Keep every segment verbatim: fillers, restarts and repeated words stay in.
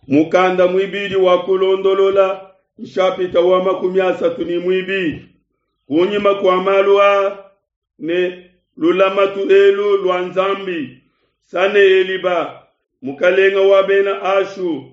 Mukanda muibidi wa Kulondolola, nshapita wa makumi asatu ne muibidi. Kunyima kua malu aa ne lulamatu elu lua Nzambi, Saneheliba, mukalenga wa bena Ashu,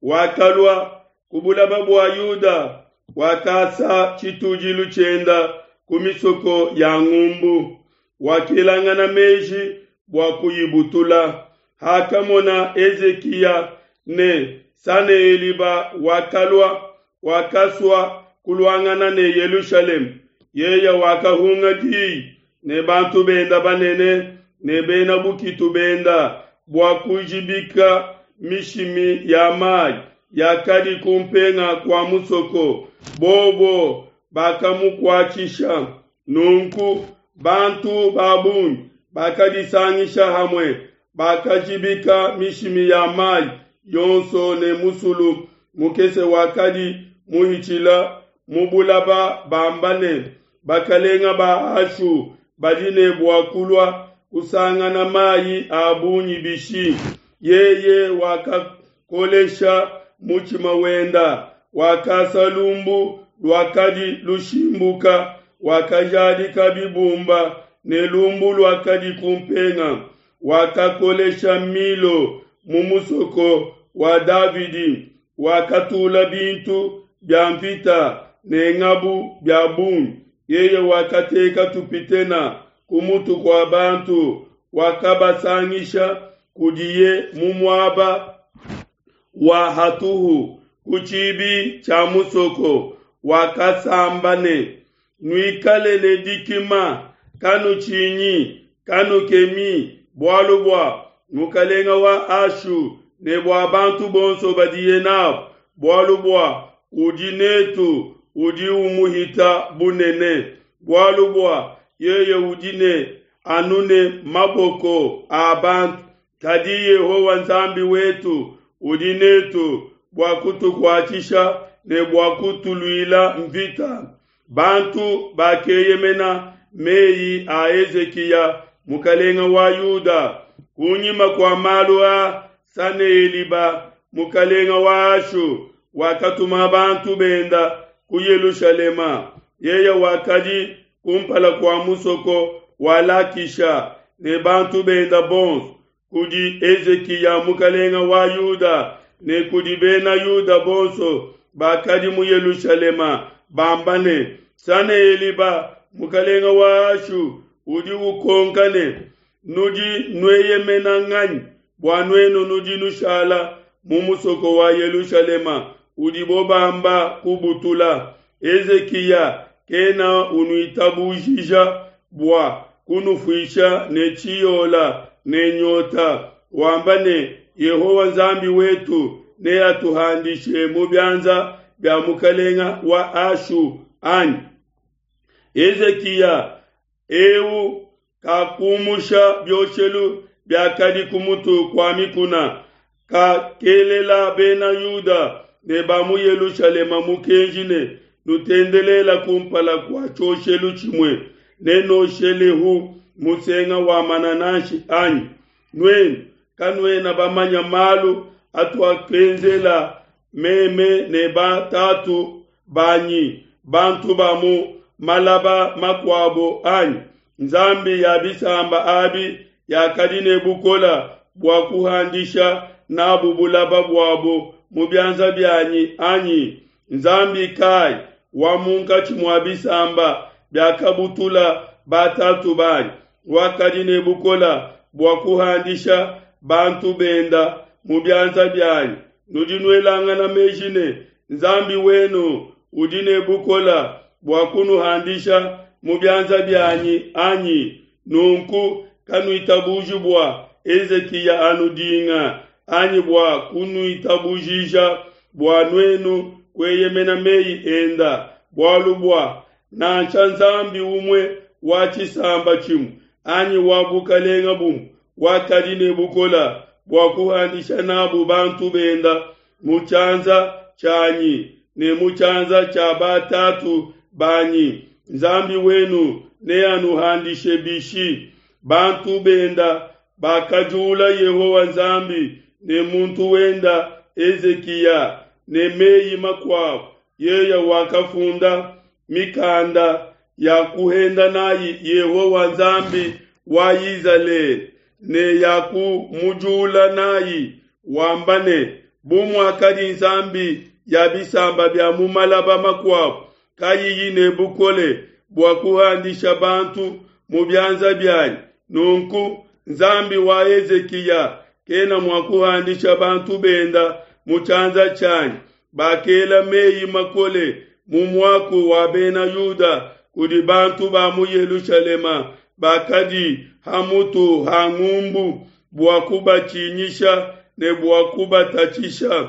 wakalua ku bulaba bua Yuda, wakasa tshitudilu tshienda ku misoko ya ngumbu, wakelangana meji bua kuyibutula. Hakamona Hezikiya ne Saneheliba wakalua, wakasua kuluangana ne Yelushalema. Yeye wakahunga diyi ne bantu benda banene ne bena bukitu benda bua kujibika mishimi ya mayi yakadi kumpenga kua musoko. Bobo bakamukuatshisha. Nunku bantu ba bungi bakadisangisha hamue, bakajibika mishimi ya mayi yonso ne musulu mukese wakadi muhitshila mu bulaba, bamba ne, bakalenga ba Ashu badi ne bua kulua kusangana mayi a bungi bishi? Yeye wakakolesha mutshima wenda, wakasa lumbu luakadi lushimbuka, wakajadika bibumba ne lumbu luakadi kumpenga, wakakolesha Milo mu musoko wa Davidi, wakatula bintu bia mvita ne ngabu bia bungi. Yeye wakateka tupitena ku mutu kua bantu, wakabasangisha kudiye mu muaba wa hatuhu ku tshibi tshia musoko. Wakasamba ne, Nuikale ne dikima, kanutshinyi, kanukemi, bualu bua mukalenga wa Ashu ne bua bantu bonso badiye nabo, bualu bua udi netu udi umuhita bunene, bualu bua yeye udi ne anu ne maboko a bantu, kadi Yehowa Nzambi wetu udi netu bua kutukuatshisha ne bua kutuluila mvita. Bantu bakeyemena meyi a Hezikiya mukalenga wa Yuda. Kunyima kua malu a Saneheliba mukalenga wa Ashu wakatuma bantu benda ku Yelushalema. Yeye wakadi kumpala kua musoko wa Lakisha ne bantu benda bonso kudi Hezikiya mukalenga wa Yuda ne kudi bena Yuda bonso bakadi mu Yelushalema, bamba ne, Saneheliba mukalenga wa Ashu udi ukonka ne, nudi nueyemena nganyi bua nuenu nudi nushala mu musoko wa Yelushalema udibo bamba kubutula? Hezikiya kena unuitabujija bua kunufuisha ne tshiyola ne nyota, wamba ne, Yehowa Nzambi wetu neatuhandishe mu bianza bia mukalenga wa Ashu anyi? Hezikiya eu kakumusha bioshelu biakadi ku mutu kua mikuna, kakelela bena Yuda ne ba mu Yelushalema mukenji ne, nutendelela kumpala kua tshioshelu tshimue, ne noshelehu musenga wa manananshi anyi? Nuenu kanuena bamanya malu atuakenzela meme ne batatu banyi bantu ba mu malaba makuabo anyi? Nzambi ya bisamba abi yakadi ne bukola bua kuhandisha nabu bulaba buabo mu bianza bianyi anyi? Nzambi kai wa munkatshi mua bisamba biakabutula batatu banyi wakadi ne bukola bua kuhandisha bantu benda mu bianza bianyi? Nudi nuelangana meji ne Nzambi wenu udi ne bukola bua kunuhandisha mu bianza bianyi anyi? Nunku kanuitabuji bua Hezikiya anudinga anyi bua kunuitabujija bua nuenu kueyemena meyi enda, bualu bua nansha Nzambi umue wa tshisamba tshimue anyi wa bukalenga bumue wakadi ne bukola bua kuhandisha nabu bantu benda mu tshianza tshianyi ne mu tshianza tshia batatu banyi. Nzambi wenu neanuhandishe bishi? Bantu benda bakajula Yehowa Nzambi ne muntu wenda Hezikiya ne mei makuabo, yeye wakafunda mikanda ya kuhenda n'ai Yehowa Nzambi wa Izalele, ne ya kumujula n'ai, wamba ne, Bu muakadi nzambi ya bisamba bia mu malaba makuabo kayiyi ne bukole bua kuhandisha bantu mu bianza bianyi, nunku Nzambi wa Hezikiya kena mua kuhandisha bantu benda mu tshianza tshianyi. Bakela mei makole mu muaku wa Bena Yuda kudi bantu ba mu Yelushalema bakadi ha mutu ha ngumbu bua kubatshinyisha ne bua kubatatshisha,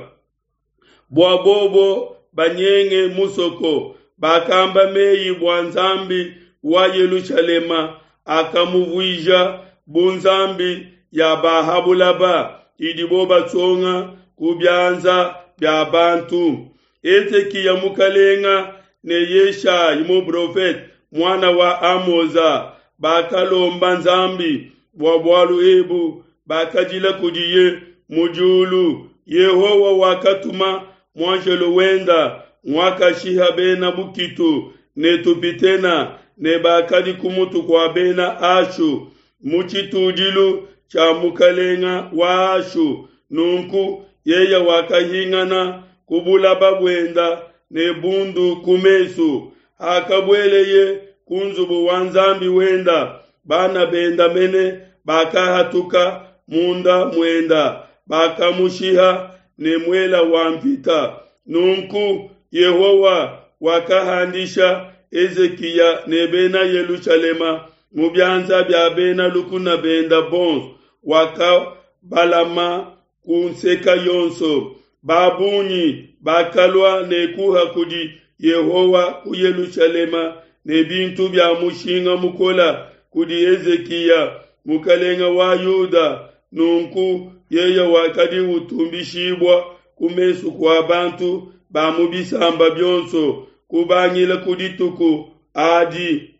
bua bobo banyenge musoko. Bakamba mei bua Nzambi wa Yelushalema akamuvuija bu nzambi ya ba ha bulaba idibo basonga ku bianza bia bantu. Hezikiya mukalenga ne Yeshayi muprofete muana wa Amoza bakalomba Nzambi bua bualu ebu, bakadila kudiye mu diulu. Yehowa wakatuma muanjelo wenda, nguakashiha bena bukitu ne tupitena ne bakadi ku mutu kua bena Ashu mu tshitudilu tshia mukalenga wa Ashu. Nunku yeye wakahingana ku bulaba buenda ne bundu ku mesu. Hakabueleye ku nzubu wa Nzambi wenda, bana benda mene bakahatuka munda muenda, bakamushiha ne muela wa mvita. Nunku Yehowa wakahandisha Hezikiya ne bena Yelushalema mu bianza bia bena lukuna benda bonso, wakabalama ku nseka yonso. Ba bungi bakalua ne kuha kudi Yehowa ku Yelushalema ne bintu bia mushinga mukola kudi Hezikiya mukalenga wa Yuda. Nunku yeye wakadi utumbishibua ku mesu kua bantu ba mu bisamba bionso kubangila ku dituku adi.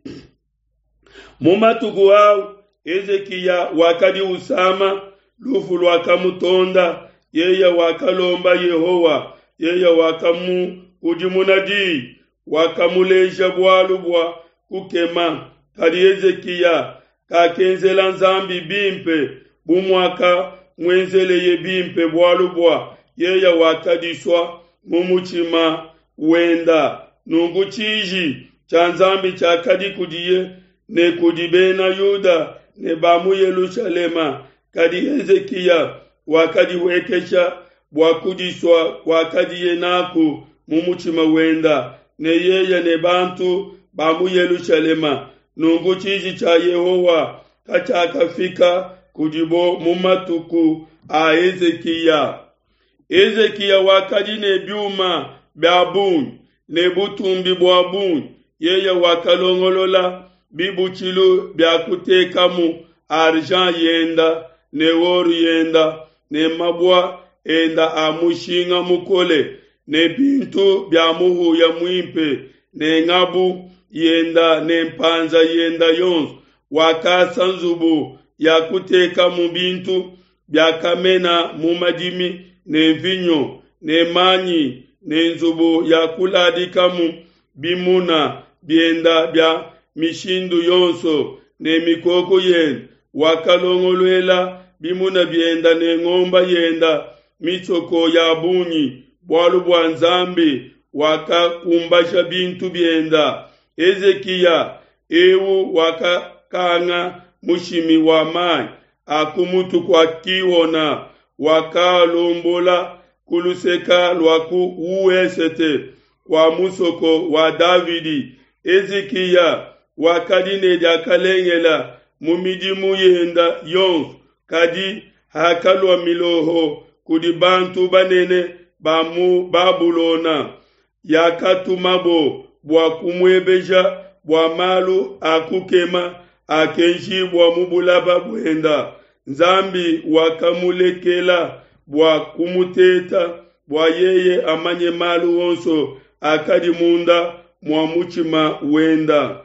Mu matuku au Hezikiya wakadi usama, lufu luakamutonda. Yeye wakalomba Yehowa, yeye wakamukudimuna di, wakamuleja bualu bua kukema. Kadi Hezikiya kakenzela Nzambi bimpe bu muakamuenzeleye bimpe, bualu bua yeye wakadisua mu mutshima wenda. Nunku tshiji tshia Nzambi tshiakadi kudiye ne kudi bena Yuda ne ba mu Yelushalema. Kadi Hezikiya wakadihuekesha bua kudisua kuakadiye naku mu mutshima wenda, ne yeye ne bantu ba mu Yelushalema. Nunku tshiji tshia Yehowa katshiakafika kudibo mu matuku a Hezikiya. Hezikiya wakadi ne biuma bia bungi ne butumbi bua bungi. Yeye wakalongolola bibutshilu bia kutekamu argent yenda ne or yenda ne mabua enda a mushinga mukole ne bintu bia muhuya muimpe ne ngabu yenda ne mpanza yenda yonso. Wakasa nzubu ya kutekamu bintu biakamena mu madimi ne mvinyo ne manyi ne nzubu ya kuladikamu bimuna bienda bia mishindu yonso ne mikoko yenda. Wakalongoluela bimuna bienda ne ngomba yenda misoko ya bungi, bualu bua Nzambi wakakumbasha bintu bienda. Hezikiya eu wakakanga mushimi wa mai a ku mutu kua Kiona, wakalombola ku luseka lua ku uesete kua musoko wa Davidi. Hezikiya wakadi ne diakalengela mu midimu yenda yonso, kadi hakalua miloho kudi bantu banene ba mu Babulona yakatumabo bua kumuebeja bua malu a kukema akenjibua mu bulaba buenda. Nzambi wakamulekela bua kumuteta, bua yeye amanye malu onso akadi munda mua mutshima wenda.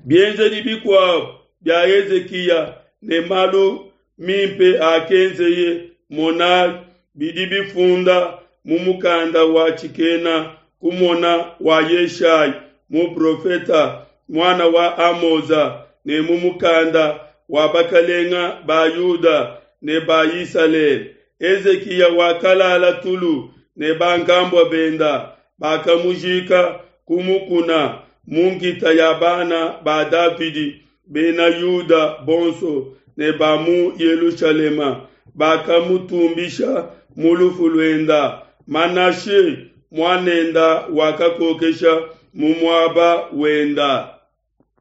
Bienzedi bikuabo bia Hezikiya ne malu mimpe akenzeye, mona, bidi bifunda mu mukanda wa tshikena kumona wa Yeshayi muprofete muana wa Amoza ne mu mukanda wa bakalenge ba Yuda ne ba Isalele. Hezikiya wakalala tulu ne bankambua benda, bakamujiika ku mukuna, mu nkita ya bana ba Davidi, bena Yuda bonso ne ba mu Yelushalema bakamutumbisha mu lufu luenda. Manashe muanenda wakakokesha mu muaba wenda.